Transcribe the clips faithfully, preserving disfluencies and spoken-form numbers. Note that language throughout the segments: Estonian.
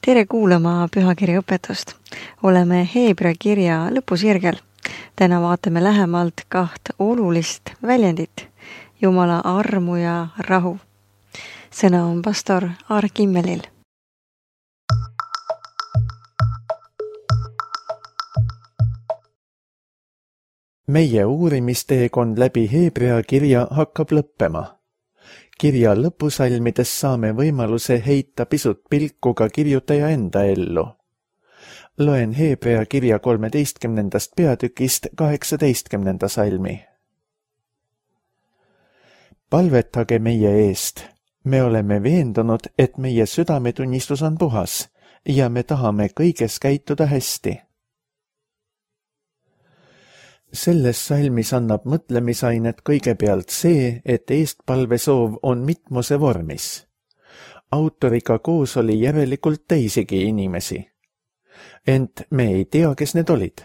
Tere kuulama pühakirja õpetust. Oleme Heebrea kirja lõpusirgel. Täna vaatame lähemalt kaht olulist väljendit, Jumala armu ja rahu. Sõna on pastor Aar Kimmelil. Meie uurimisteekond läbi Heebrea kirja hakkab lõppema. Kirja lõpusalmides saame võimaluse heita pisut pilku ka kirjutaja enda ellu. Loen Heebrea kirja kolmeteistkümnendast peatükist kaheksateistkümnenda salmi. Palvetage meie eest. Me oleme veendunud, et meie südametunnistus on puhas ja me tahame kõiges käituda hästi. Selles salmis annab mõtlemisainet kõigepealt see, et eestpalvesoov on mitmuse vormis. Autoriga koos oli järelikult teisigi inimesi. Ent me ei tea, kes need olid.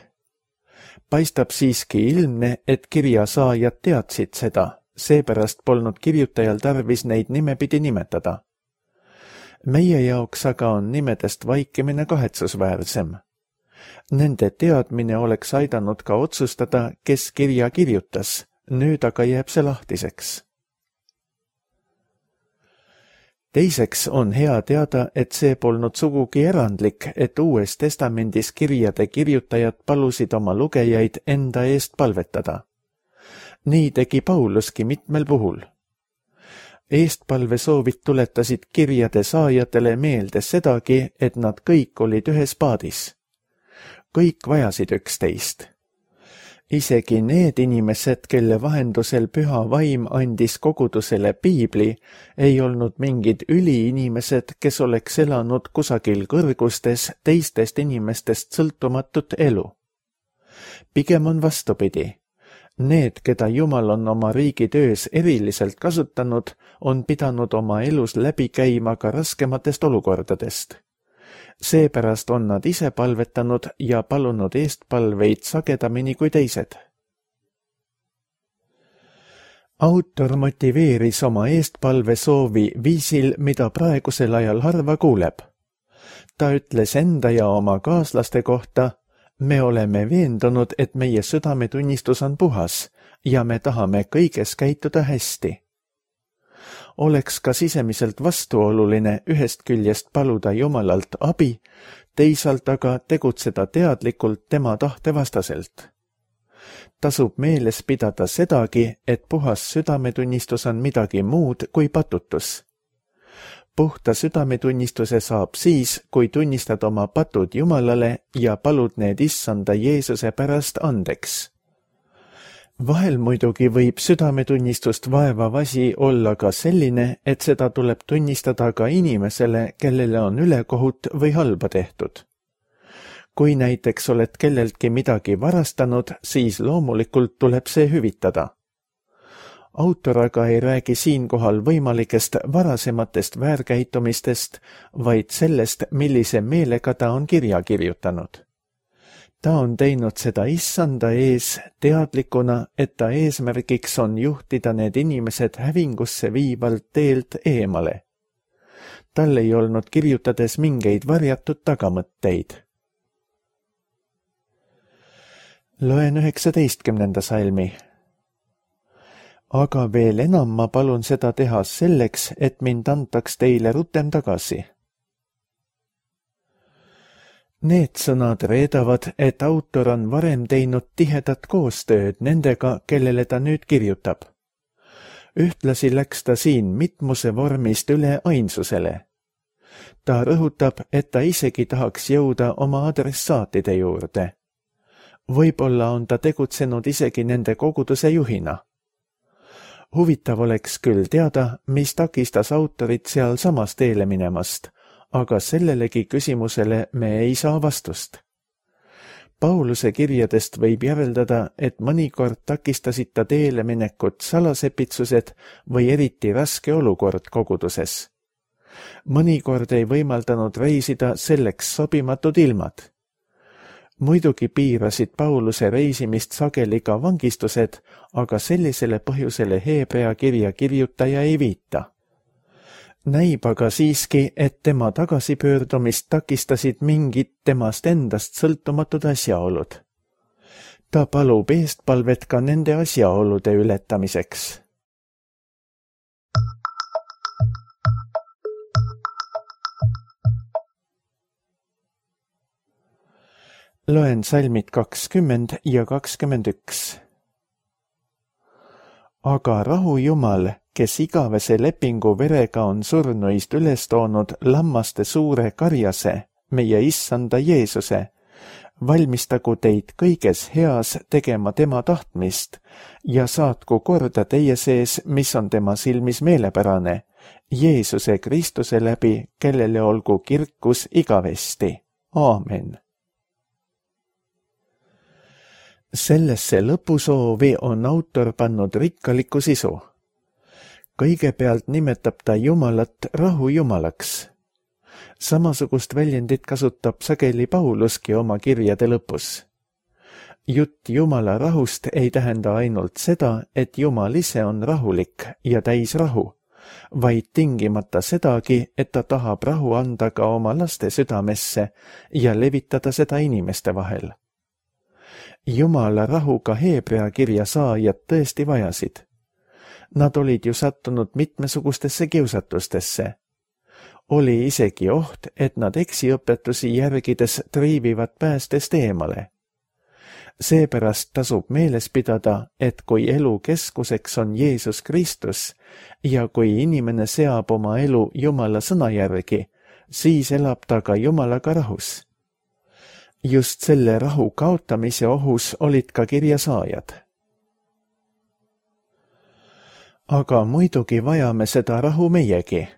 Paistab siiski ilmne, et kirja saajad teadsid seda, seepärast polnud kirjutajal tarvis neid nimepidi nimetada. Meie jaoks aga on nimedest vaikimine kahetsusväärsem. Nende teadmine oleks aidanud ka otsustada, kes kirja kirjutas, nüüd aga jääb see lahtiseks. Teiseks on hea teada, et see polnud sugugi erandlik, et Uues Testamendis kirjade kirjutajad palusid oma lugejaid enda eest palvetada. Nii tegi Pauluski mitmel puhul. Eestpalvesoovid tuletasid kirjade saajatele meelde sedagi, et nad kõik olid ühes paadis. Kõik vajasid üksteist. Isegi need inimesed, kelle vahendusel püha vaim andis kogudusele piibli, ei olnud mingid üliinimesed, kes oleks elanud kusagil kõrgustes teistest inimestest sõltumatut elu. Pigem on vastupidi. Need, keda Jumal on oma riigi töös eriliselt kasutanud, on pidanud oma elus läbi käima ka raskematest olukordadest. Seepärast on nad ise palvetanud ja palunud eestpalveid sagedamini kui teised. Autor motiveeris oma eestpalvesoovi viisil, mida praegusel ajal harva kuuleb. Ta ütles enda ja oma kaaslaste kohta, me oleme veendunud, et meie südametunnistus on puhas ja me tahame kõiges käituda hästi. Oleks ka sisemiselt vastuoluline ühest küljest paluda Jumalalt abi, teisalt aga tegutseda teadlikult tema tahte vastaselt. Tasub meeles pidada sedagi, et puhas südametunnistus on midagi muud kui patutus. Puhta südametunnistuse saab siis, kui tunnistad oma patud Jumalale ja palud need issanda Jeesuse pärast andeks. Vahel muidugi võib südametunnistust vaevav asi olla ka selline, et seda tuleb tunnistada ka inimesele, kellele on ülekohut või halba tehtud. Kui näiteks oled kelleltki midagi varastanud, siis loomulikult tuleb see hüvitada. Autor aga ei räägi siinkohal võimalikest varasematest väärkäitumistest, vaid sellest, millise meelega ta on kirja kirjutanud. Ta on teinud seda issanda ees teadlikuna, et ta eesmärgiks on juhtida need inimesed hävingusse viivalt teelt eemale. Tal ei olnud kirjutades mingeid varjatud tagamõtteid. Loen üheksateistkümnenda salmi. Aga veel enam ma palun seda teha selleks, et mind antaks teile rutem tagasi. Need sõnad reedavad, et autor on varem teinud tihedat koostööd nendega, kellele ta nüüd kirjutab. Ühtlasi läks ta siin mitmuse vormist üle ainsusele. Ta rõhutab, et ta isegi tahaks jõuda oma adressaatide juurde. Võib-olla on ta tegutsenud isegi nende koguduse juhina. Huvitav oleks küll teada, mis takistas autorit seal samas teele minemast, aga sellelegi küsimusele me ei saa vastust. Pauluse kirjadest võib järeldada, et mõnikord takistasid ta teele minekut salasepitsused või eriti raske olukord koguduses. Mõnikord ei võimaldanud reisida selleks sobimatud ilmad. Muidugi piirasid Pauluse reisimist sageli ka vangistused, aga sellisele põhjusele Heebrea kirja kirjutaja ei viita. näib aga siiski, et tema tagasipöördumist takistasid mingid temast endast sõltumatud asjaolud. Ta palub eestpalvet ka nende asjaolude ületamiseks. Loen salmid kakskümmend ja kakskümmend üks. Aga rahu Jumal, kes igavese lepingu verega on surnuist üles toonud lammaste suure karjase, meie issanda Jeesuse, valmistagu teid kõiges heas tegema tema tahtmist ja saatku korda teie sees, mis on tema silmis meelepärane, Jeesuse Kristuse läbi, kellele olgu kirkus igavesti. Aamen. Sellesse lõpusoovi on autor pannud rikkalikku sisu. Kõigepealt nimetab ta Jumalat rahu Jumalaks. Samasugust väljendit kasutab sageli Pauluski oma kirjade lõpus. Jutt Jumala rahust ei tähenda ainult seda, et Jumal ise on rahulik ja täis rahu, vaid tingimata sedagi, et ta tahab rahu anda ka oma laste südamesse ja levitada seda inimeste vahel. Jumala rahuga Heebrea kirja saajad tõesti vajasid. Nad olid ju sattunud mitmesugustesse kiusatustesse. Oli isegi oht, et nad eksiõpetusi järgides triivivad päästest eemale. Seepärast tasub meeles pidada, et kui elu keskuseks on Jeesus Kristus ja kui inimene seab oma elu Jumala sõna järgi, siis elab ta ka Jumalaga rahus. Just selle rahu kaotamise ohus olid ka kirjasaajad. Aga muidugi vajame seda rahu meiegi.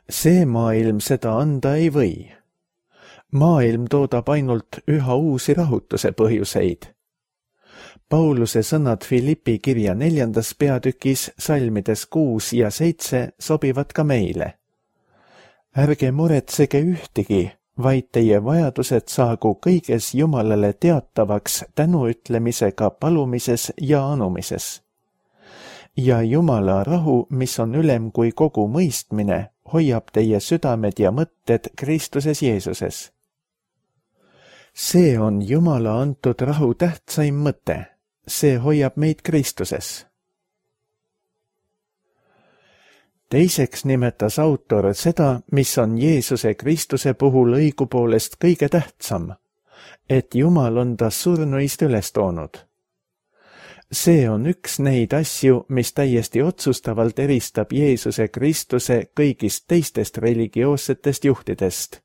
See maailm seda anda ei või. Maailm toodab ainult üha uusi rahutuse põhjuseid. Pauluse sõnad Filippi kirja neljandas peatükis salmides kuus ja seitse sobivad ka meile. Ärge muretsege ühtegi, vaid teie vajadused saagu kõiges Jumalale teatavaks tänuütlemisega palumises ja anumises. Ja Jumala rahu, mis on ülem kui kogu mõistmine, hoiab teie südamed ja mõtted Kristuses Jeesuses. See on Jumala antud rahu tähtsaim mõte. See hoiab meid Kristuses. Teiseks nimetas autor seda, mis on Jeesuse Kristuse puhul õigupoolest kõige tähtsam, et Jumal on ta surnuist üles toonud. See on üks neid asju, mis täiesti otsustavalt eristab Jeesuse Kristuse kõigist teistest religioossetest juhtidest.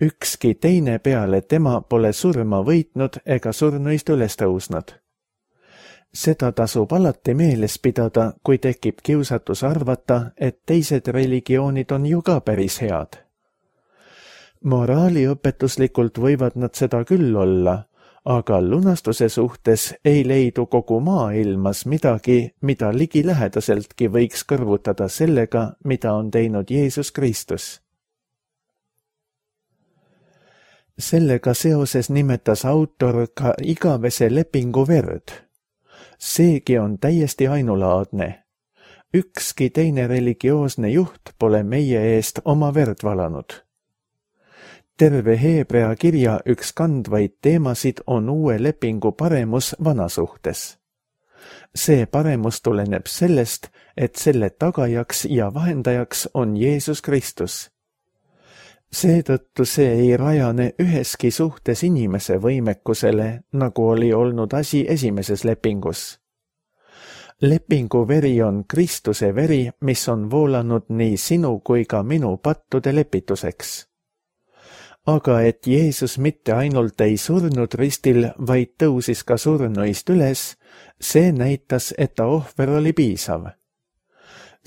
Ükski teine peale tema pole surma võitnud ega surnuist üles tõusnud. Seda tasub alati meeles pidada, kui tekib kiusatus arvata, et teised religioonid on ju ka päris head. Moraaliõpetuslikult võivad nad seda küll olla, aga lunastuse suhtes ei leidu kogu maailmas midagi, mida ligilähedaseltki võiks kõrvutada sellega, mida on teinud Jeesus Kristus. Sellega seoses nimetas autor ka igavese lepingu verd. Seegi on täiesti ainulaadne. Ükski teine religioosne juht pole meie eest oma verd valanud. Terve Heebrea kirja üks kandvaid teemasid on uue lepingu paremus vana suhtes. See paremus tuleneb sellest, et selle tagajaks ja vahendajaks on Jeesus Kristus. Seetõttu see ei rajane üheski suhtes inimese võimekusele, nagu oli olnud asi esimeses lepingus. Lepingu veri on Kristuse veri, mis on voolanud nii sinu kui ka minu pattude lepituseks. Aga et Jeesus mitte ainult ei surnud ristil, vaid tõusis ka surnuist üles, see näitas, et ta ohver oli piisav.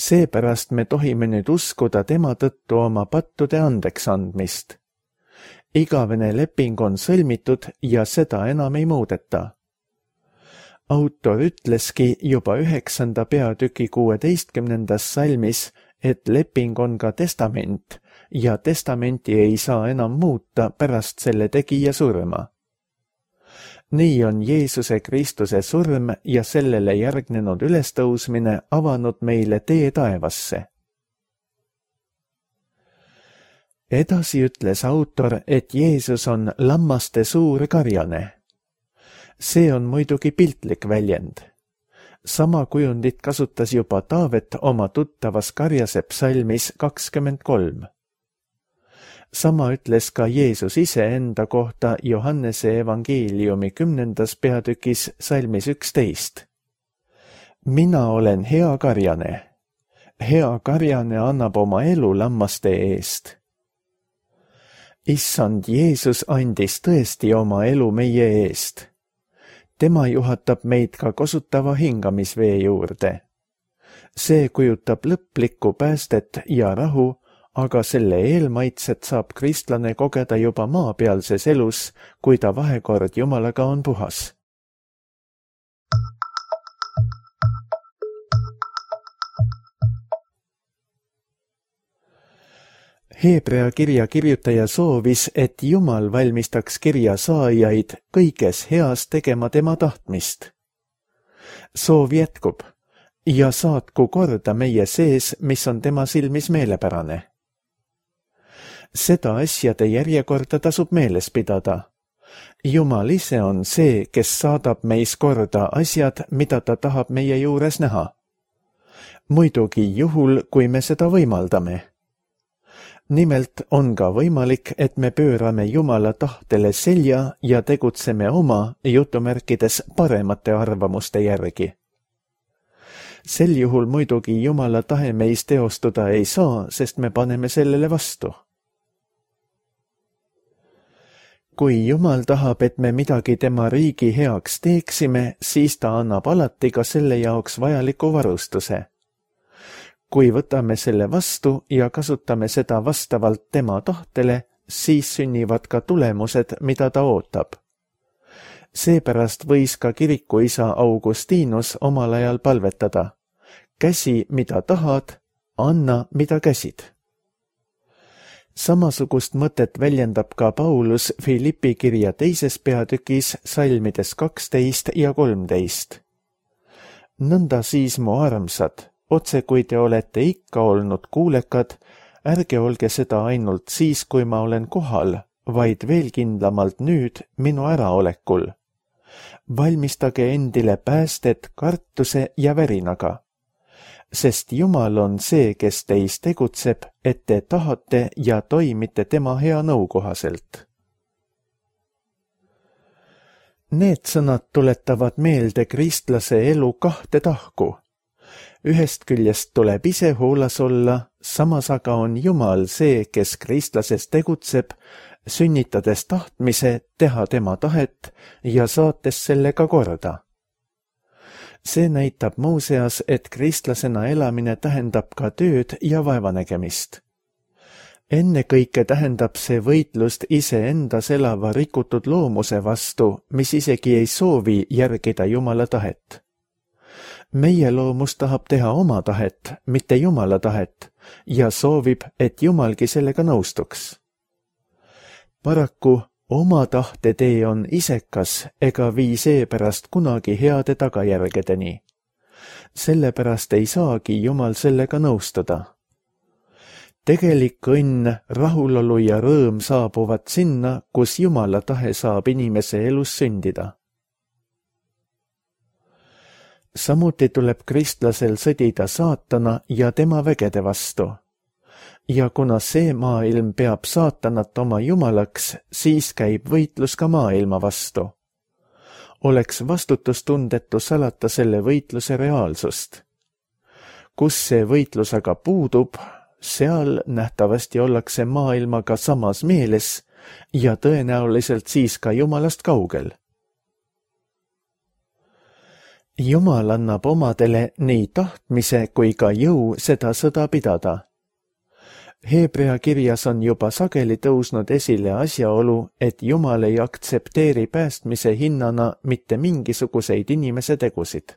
Seepärast me tohime nüüd uskuda tema tõttu oma pattude andeks andmist. Igavene leping on sõlmitud ja seda enam ei muudeta. Autor ütleski juba üheksanda peatüki kuueteistkümnendas salmis, et leping on ka testament ja testamenti ei saa enam muuta pärast selle tegija surma. Nii on Jeesuse Kristuse surm ja sellele järgnenud ülestõusmine avanud meile tee taevasse. Edasi ütles autor, et Jeesus on lammaste suur karjane. See on muidugi piltlik väljend. Sama kujundit kasutas juba Taavet oma tuttavas karjase psalmis kakskümmend kolm. Sama ütles ka Jeesus ise enda kohta Johannese evangeeliumi kümnendas peatükis salmis üksteist. Mina olen hea karjane. Hea karjane annab oma elu lammaste eest. Issand Jeesus andis tõesti oma elu meie eest. Tema juhatab meid ka kosutava hingamisvee juurde. See kujutab lõplikku päästet ja rahu, aga selle eelmaitset saab kristlane kogeda juba maapealses elus, kui ta vahekord Jumalaga on puhas. Heebrea kirja kirjutaja soovis, et Jumal valmistaks kirja saajaid kõiges heas tegema tema tahtmist. Soov jätkub ja saatku korda meie sees, mis on tema silmis meelepärane. Seda asjade järjekorda tasub meeles pidada. Jumal ise on see, kes saadab meis korda asjad, mida ta tahab meie juures näha. Muidugi juhul, kui me seda võimaldame. Nimelt on ka võimalik, et me pöörame Jumala tahtele selja ja tegutseme oma jutumärkides paremate arvamuste järgi. Sel juhul muidugi Jumala tahe meis teostuda ei saa, sest me paneme sellele vastu. Kui Jumal tahab, et me midagi tema riigi heaks teeksime, siis ta annab alati ka selle jaoks vajaliku varustuse. Kui võtame selle vastu ja kasutame seda vastavalt tema tahtele, siis sünnivad ka tulemused, mida ta ootab. Seepärast võis ka kirikuisa Augustinus omal ajal palvetada. Käsi, mida tahad, anna, mida käsid. Samasugust mõtet väljendab ka Paulus Filippi kirja teises peatükis salmides kaksteist ja kolmteist. Nõnda siis, mu armsad, otse kui te olete ikka olnud kuulekad, ärge olge seda ainult siis, kui ma olen kohal, vaid veel kindlamalt nüüd minu äraolekul. Valmistage endile päästet kartuse ja värinaga, sest Jumal on see, kes teis tegutseb, et te tahate ja toimite tema hea nõu kohaselt. Need sõnad tuletavad meelde kristlase elu kahte tahku. Ühest küljest tuleb ise hoolas olla, samas aga on Jumal see, kes kristlases tegutseb, sünnitades tahtmise teha tema tahet ja saates sellega korda. See näitab muuseas, et kristlasena elamine tähendab ka tööd ja vaevanägemist. Ennekõike tähendab see võitlust iseendas elava rikutud loomuse vastu, mis isegi ei soovi järgida Jumala tahet. Meie loomus tahab teha oma tahet, mitte Jumala tahet, ja soovib, et Jumalgi sellega nõustuks. Paraku oma tahte tee on isekas ega vii seepärast kunagi heade tagajärgedeni. Sellepärast ei saagi Jumal sellega nõustuda. Tegelik õnn, rahulolu ja rõõm saabuvad sinna, kus Jumala tahe saab inimese elus sündida. Samuti tuleb kristlasel sõdida saatana ja tema vägede vastu. Ja kuna see maailm peab saatanat oma jumalaks, siis käib võitlus ka maailma vastu. Oleks vastutustundetu salata selle võitluse reaalsust. Kus see võitlus aga puudub, seal nähtavasti ollakse maailmaga samas meeles ja tõenäoliselt siis ka Jumalast kaugel. Jumal annab omadele nii tahtmise kui ka jõu seda sõda pidada. Heebrea kirjas on juba sageli tõusnud esile asjaolu, et Jumal ei aktsepteeri päästmise hinnana mitte mingisuguseid inimese tegusid.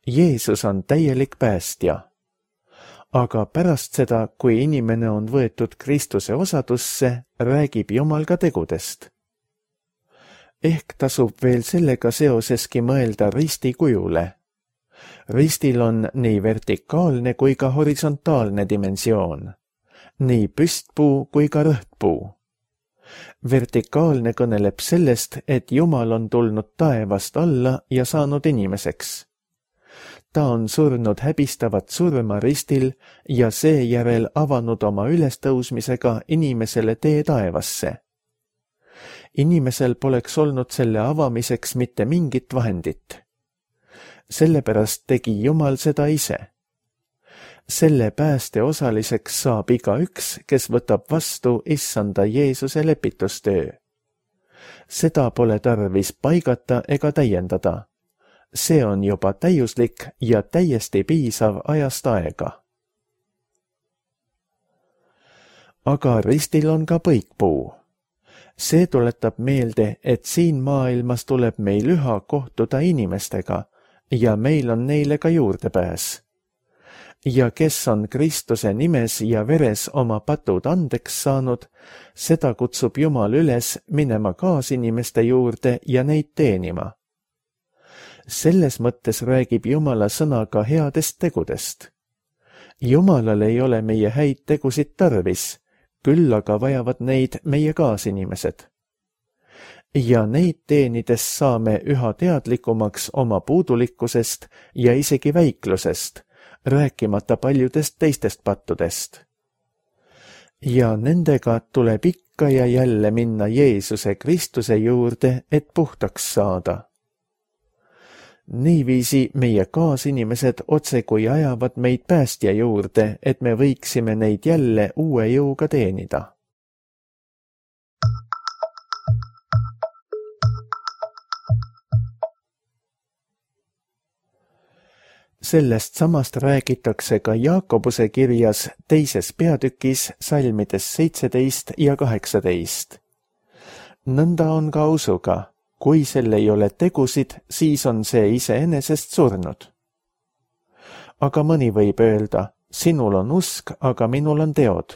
Jeesus on täielik päästja. Aga pärast seda, kui inimene on võetud Kristuse osadusse, räägib Jumal ka tegudest. Ehk tasub veel sellega seoseski mõelda risti kujule. Ristil on nii vertikaalne kui ka horisontaalne dimensioon. nii püstpuu kui ka rõhtpuu. Vertikaalne kõneleb sellest, et Jumal on tulnud taevast alla ja saanud inimeseks. Ta on surnud häbistavat surma ristil ja seejärel avanud oma ülestõusmisega inimesele tee taevasse. Inimesel poleks olnud selle avamiseks mitte mingit vahendit. Sellepärast tegi Jumal seda ise. Selle pääste osaliseks saab igaüks, kes võtab vastu issanda Jeesuse lepitustöö. Seda pole tarvis paigata ega täiendada. See on juba täiuslik ja täiesti piisav ajast aega. Aga ristil on ka põikpuu. See tuletab meelde, et siin maailmas tuleb meil üha kohtuda inimestega ja meil on neile ka juurdepääs. Ja kes on Kristuse nimes ja veres oma patud andeks saanud, seda kutsub Jumal üles minema kaasinimeste juurde ja neid teenima. Selles mõttes räägib Jumala sõna ka headest tegudest. Jumalal ei ole meie häid tegusid tarvis, küll aga vajavad neid meie kaasinimesed. Ja neid teenides saame üha teadlikumaks oma puudulikkusest ja isegi väiklusest, rääkimata paljudest teistest pattudest. Ja nendega tuleb ikka ja jälle minna Jeesuse Kristuse juurde, et puhtaks saada. Niiviisi meie kaasinimesed otsekui ajavad meid päästja juurde, et me võiksime neid jälle uue jõuga teenida. Sellest samast räägitakse ka Jaakobuse kirjas teises peatükis salmides seitseteist ja kaheksateist. Nõnda on ka usuga. Kui selle ei ole tegusid, siis on see iseenesest surnud. Aga mõni võib öelda, sinul on usk, aga minul on teod.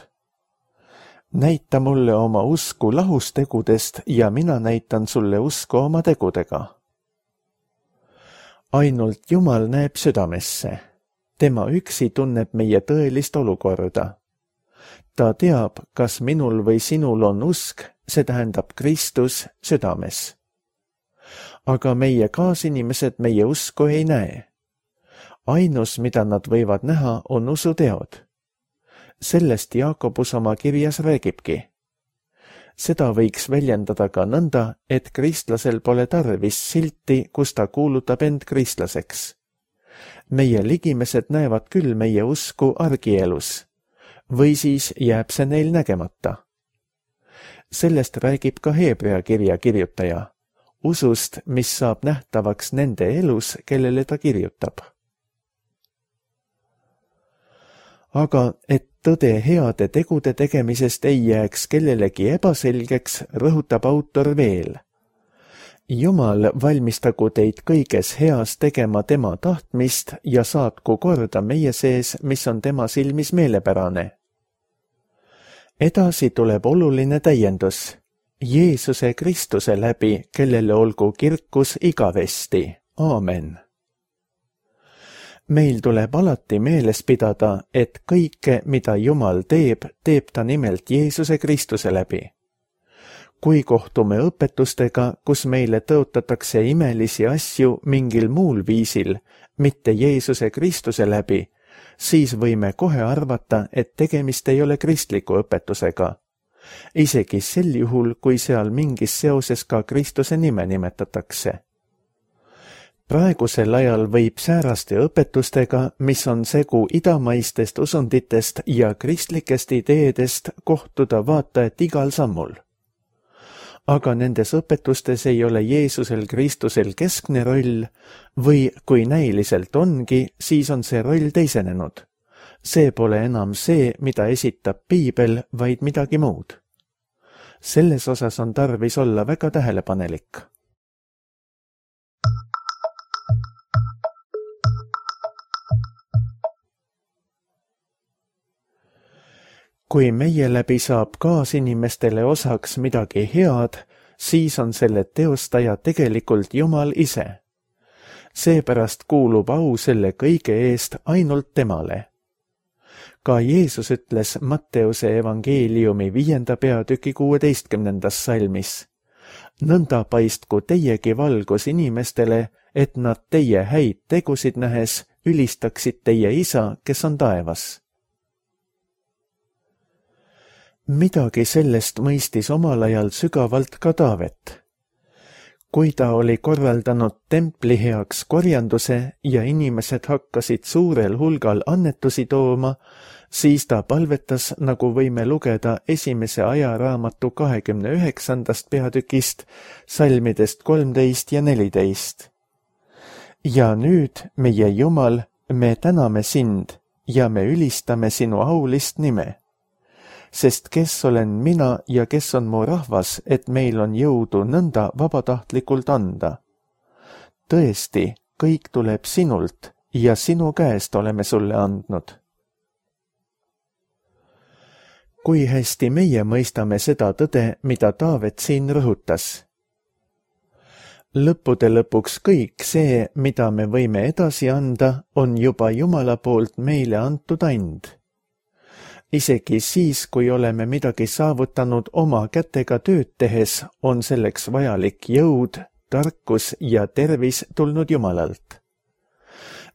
Näita mulle oma usku lahus tegudest ja mina näitan sulle usku oma tegudega. Ainult Jumal näeb südamesse. Tema üksi tunneb meie tõelist olukorda. Ta teab, kas minul või sinul on usk, see tähendab Kristus südames. Aga meie kaasinimesed meie usku ei näe. Ainus, mida nad võivad näha, on usuteod. Sellest Jaakobus oma kirjas räägibki. Seda võiks väljendada ka nõnda, et kristlasel pole tarvis silti, kus ta kuulutab end kristlaseks. Meie ligimesed näevad küll meie usku argielus, või siis jääb see neil nägemata. Sellest räägib ka Hebrea kirja kirjutaja. Usust, mis saab nähtavaks nende elus, kellele ta kirjutab. Aga et tõde heade tegude tegemisest ei jääks kellelegi ebaselgeks, rõhutab autor veel. Jumal valmistagu teid kõiges heas tegema tema tahtmist ja saatku korda meie sees, mis on tema silmis meelepärane. Edasi tuleb oluline täiendus. Jeesuse Kristuse läbi, kellele olgu kirkus igavesti. Aamen. Meil tuleb alati meeles pidada, et kõike, mida Jumal teeb, teeb ta nimelt Jeesuse Kristuse läbi. Kui kohtume õpetustega, kus meile tõotatakse imelisi asju mingil muul viisil, mitte Jeesuse Kristuse läbi, siis võime kohe arvata, et tegemist ei ole kristliku õpetusega. Isegi sel juhul, kui seal mingis seoses ka Kristuse nime nimetatakse. Praegusel ajal võib sääraste õpetustega, mis on segu idamaistest usunditest ja kristlikest ideedest, kohtuda vaatajat igal sammul. Aga nendes õpetustes ei ole Jeesusel Kristusel keskne roll või kui näiliselt ongi, siis on see roll teisenenud. See pole enam see, mida esitab Piibel, vaid midagi muud. Selles osas on tarvis olla väga tähelepanelik. Kui meie läbi saab kaasinimestele osaks midagi head, siis on selle teostaja tegelikult Jumal ise. Seepärast kuulub au selle kõige eest ainult temale. Ka Jeesus ütles Matteuse evangeeliumi viienda peatüki kuueteistkümnendas salmis. Nõnda paistku teiegi valgus inimestele, et nad teie häid tegusid nähes ülistaksid teie isa, kes on taevas. Midagi sellest mõistis omal ajal sügavalt ka Taavet. Kui ta oli korraldanud templi heaks korjanduse ja inimesed hakkasid suurel hulgal annetusi tooma, siis ta palvetas, nagu võime lugeda esimese ajaraamatu kahekümne üheksandast peatükist, salmidest kolmteist ja neliteist. Ja nüüd, meie Jumal, me täname sind ja me ülistame sinu aulist nime. Sest kes olen mina ja kes on mu rahvas, et meil on jõudu nõnda vabatahtlikult anda. Tõesti, kõik tuleb sinult ja sinu käest oleme sulle andnud. Kui hästi meie mõistame seda tõde, mida Taavet siin rõhutas. Lõppude lõpuks kõik see, mida me võime edasi anda, on juba Jumala poolt meile antud and. Isegi siis, kui oleme midagi saavutanud oma kätega tööd tehes, on selleks vajalik jõud, tarkus ja tervis tulnud Jumalalt.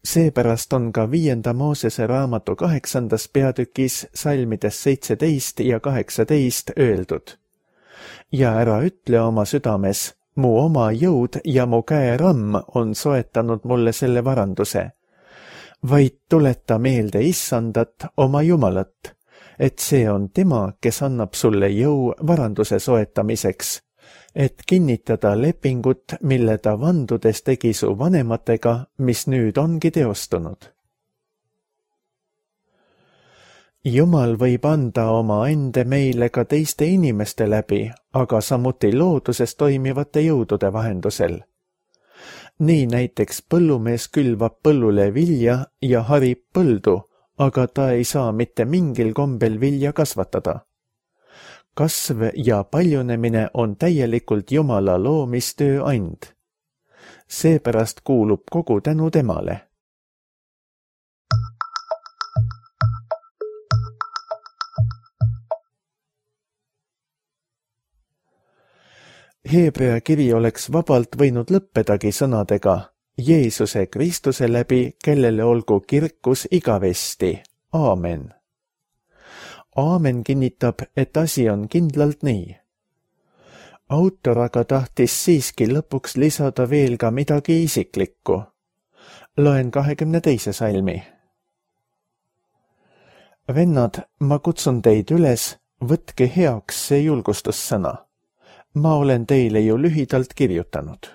Seepärast on ka viienda Moosese raamatu kaheksandas peatükis salmides seitseteist ja kaheksateist öeldud. Ja ära ütle oma südames, mu oma jõud ja mu käeramm on soetanud mulle selle varanduse, vaid tuleta meelde Issandat, oma Jumalat, et see on tema, kes annab sulle jõu varanduse soetamiseks, et kinnitada lepingut, mille ta vandudes tegi su vanematega, mis nüüd ongi teostunud. Jumal võib anda oma ande meile ka teiste inimeste läbi, aga samuti looduses toimivate jõudude vahendusel. Nii näiteks põllumees külvab põllule vilja ja harib põldu, aga ta ei saa mitte mingil kombel vilja kasvatada. Kasv ja paljunemine on täielikult Jumala loomistöö and. Seepärast kuulub kogu tänu temale. Heebrea kiri oleks vabalt võinud lõppedagi sõnadega Jeesuse Kristuse läbi, kellele olgu kirkus igavesti. Aamen. Aamen kinnitab, et asi on kindlalt nii. Autor aga tahtis siiski lõpuks lisada veel ka midagi isiklikku. Loen kahekümne teise salmi. Vennad, ma kutsun teid üles, võtke heaks see julgustussõna. Ma olen teile ju lühidalt kirjutanud.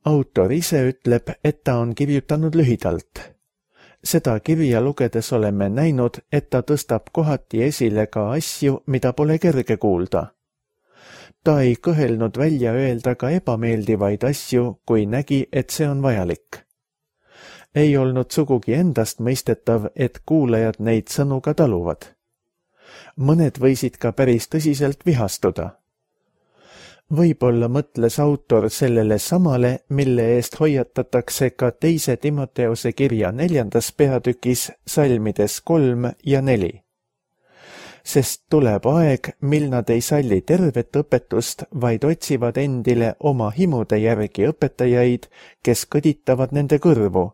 Autor ise ütleb, et ta on kirjutanud lühidalt. Seda kirja lugedes oleme näinud, et ta tõstab kohati esile ka asju, mida pole kerge kuulda. Ta ei kõhelnud välja öelda ka ebameeldivaid asju, kui nägi, et see on vajalik. Ei olnud sugugi endast mõistetav, et kuulajad neid sõnu ka taluvad. Mõned võisid ka päris tõsiselt vihastuda. Võib-olla mõtles autor sellele samale, mille eest hoiatatakse ka teise Timoteuse kirja neljandas peatükis salmides kolm ja neli. Sest tuleb aeg, mil nad ei salli tervet õpetust, vaid otsivad endile oma himude järgi õpetajaid, kes kõditavad nende kõrvu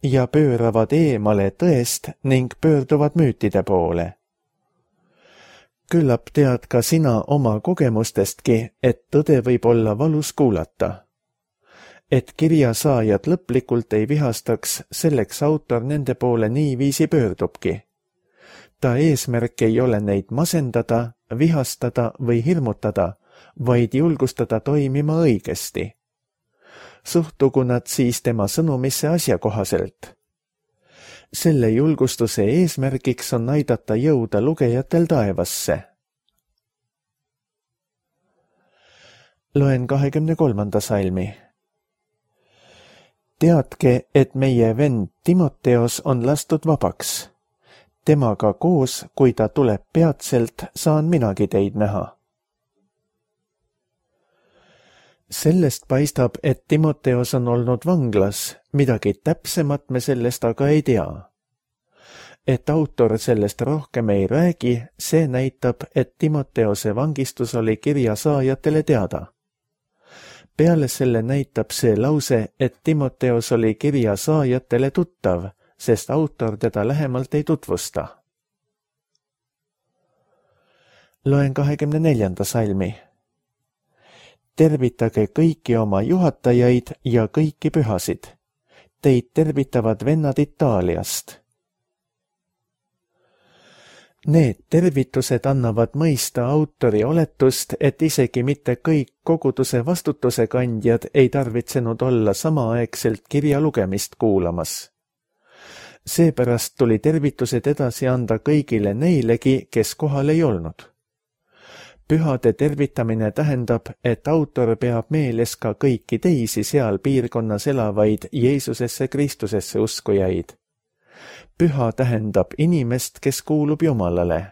ja pööravad eemale tõest ning pöörduvad müütide poole. Küllap tead ka sina oma kogemustestki, et tõde võib olla valus kuulata. Et kirja saajad lõplikult ei vihastaks, selleks autor nende poole niiviisi pöördubki. Ta eesmärk ei ole neid masendada, vihastada või hirmutada, vaid julgustada toimima õigesti. Suhtugu nad siis tema sõnumisse asjakohaselt. Selle julgustuse eesmärgiks on aidata jõuda lugejatel taevasse. Loen kahekümne kolmanda salmi. Teadke, et meie vend Timoteos on lastud vabaks. Temaga koos, kui ta tuleb peatselt, saan minagi teid näha. Sellest paistab, et Timoteos on olnud vanglas, midagi täpsemat me sellest aga ei tea. Et autor sellest rohkem ei räägi, see näitab, et Timoteose vangistus oli kirja saajatele teada. Peale selle näitab see lause, et Timoteos oli kirja saajatele tuttav, sest autor teda lähemalt ei tutvusta. Loen kahekümne neljanda salmi. Tervitage kõiki oma juhatajaid ja kõiki pühasid. Teid tervitavad vennad Itaaliast. Need tervitused annavad mõista autori oletust, et isegi mitte kõik koguduse vastutuse kandjad ei tarvitsenud olla samaaegselt kirja lugemist kuulamas. Seepärast tuli tervitused edasi anda kõigile neilegi, kes kohal ei olnud. Pühade tervitamine tähendab, et autor peab meeles ka kõiki teisi seal piirkonnas elavaid Jeesusesse Kristusesse uskujaid. Püha tähendab inimest, kes kuulub Jumalale.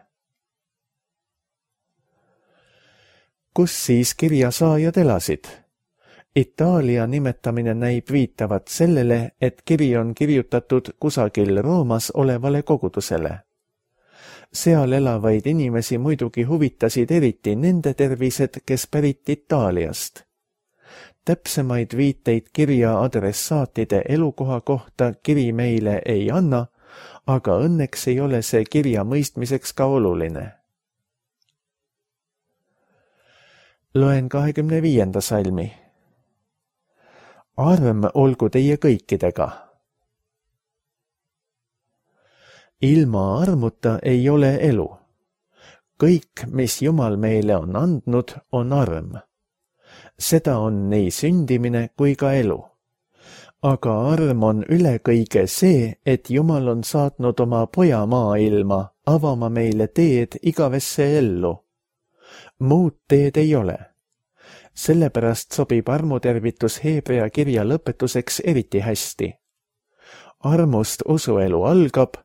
Kus siis kirjasaajad elasid? Itaalia nimetamine näib viitavat sellele, et kiri on kirjutatud kusagil Roomas olevale kogudusele. Seal elavaid inimesi muidugi huvitasid eriti nende tervised, kes pärit Itaaliast. Täpsemaid viiteid kirja adressaatide elukoha kohta kiri meile ei anna, aga õnneks ei ole see kirja mõistmiseks ka oluline. Loen kahekümne viienda salmi. Arm olgu teie kõikidega. Ilma armuta ei ole elu. Kõik, mis Jumal meile on andnud, on arm. Seda on nii sündimine kui ka elu. Aga arm on üle kõige see, et Jumal on saatnud oma poja maailma avama meile teed igavesse ellu. Muud teed ei ole. Sellepärast sobib armutervitus Heebrea kirja lõpetuseks eriti hästi. Armust usuelu algab,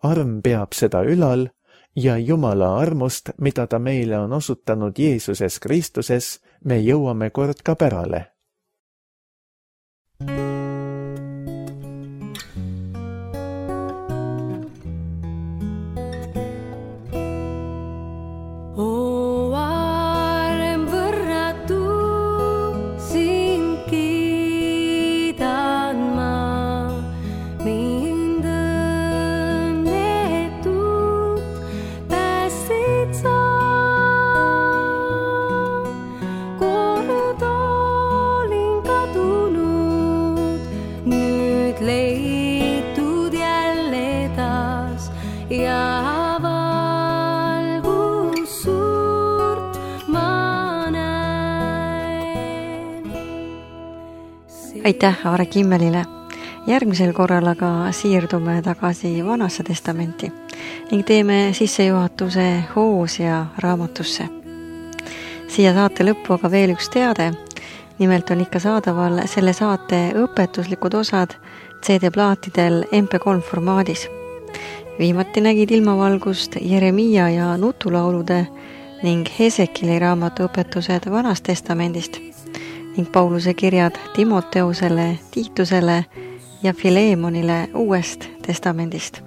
arm peab seda ülal ja Jumala armust, mida ta meile on osutanud Jeesuses Kristuses, me jõuame kord ka pärale. Aitäh Aare Kimmelile. Järgmisel korral aga siirdume tagasi Vanasse testamenti ning teeme sissejuhatuse Hoosia raamatusse. Siia saate lõppu aga veel üks teade. Nimelt on ikka saadaval selle saate õpetuslikud osad C D-plaatidel M P kolm formaadis. Viimati nägid ilmavalgust Jeremiia ja nutulaulude ning Hesekili raamatu õpetused Vanast testamendist ning Pauluse kirjad Timoteusele, Tiitusele ja Fileemonile Uuest testamendist.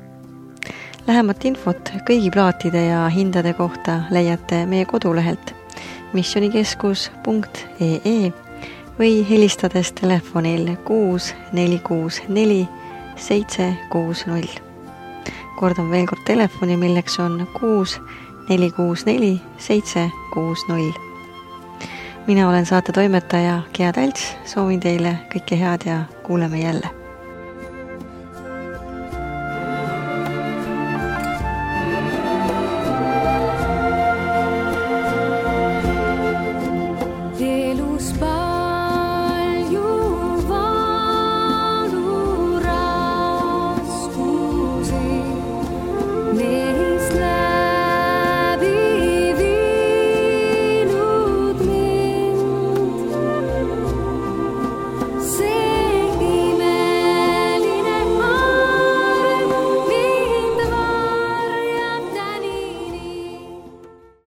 Lähemat infot kõigi plaatide ja hindade kohta leiate meie kodulehelt missionikeskus punkt ee e või helistades telefonil kuus neli kuus neli seitse kuus null. Kordan veel kord telefoni, milleks on kuus neli kuus neli seitse kuus null. Mina olen saate toimetaja Gea Talts, soovin teile kõike head ja kuuleme jälle.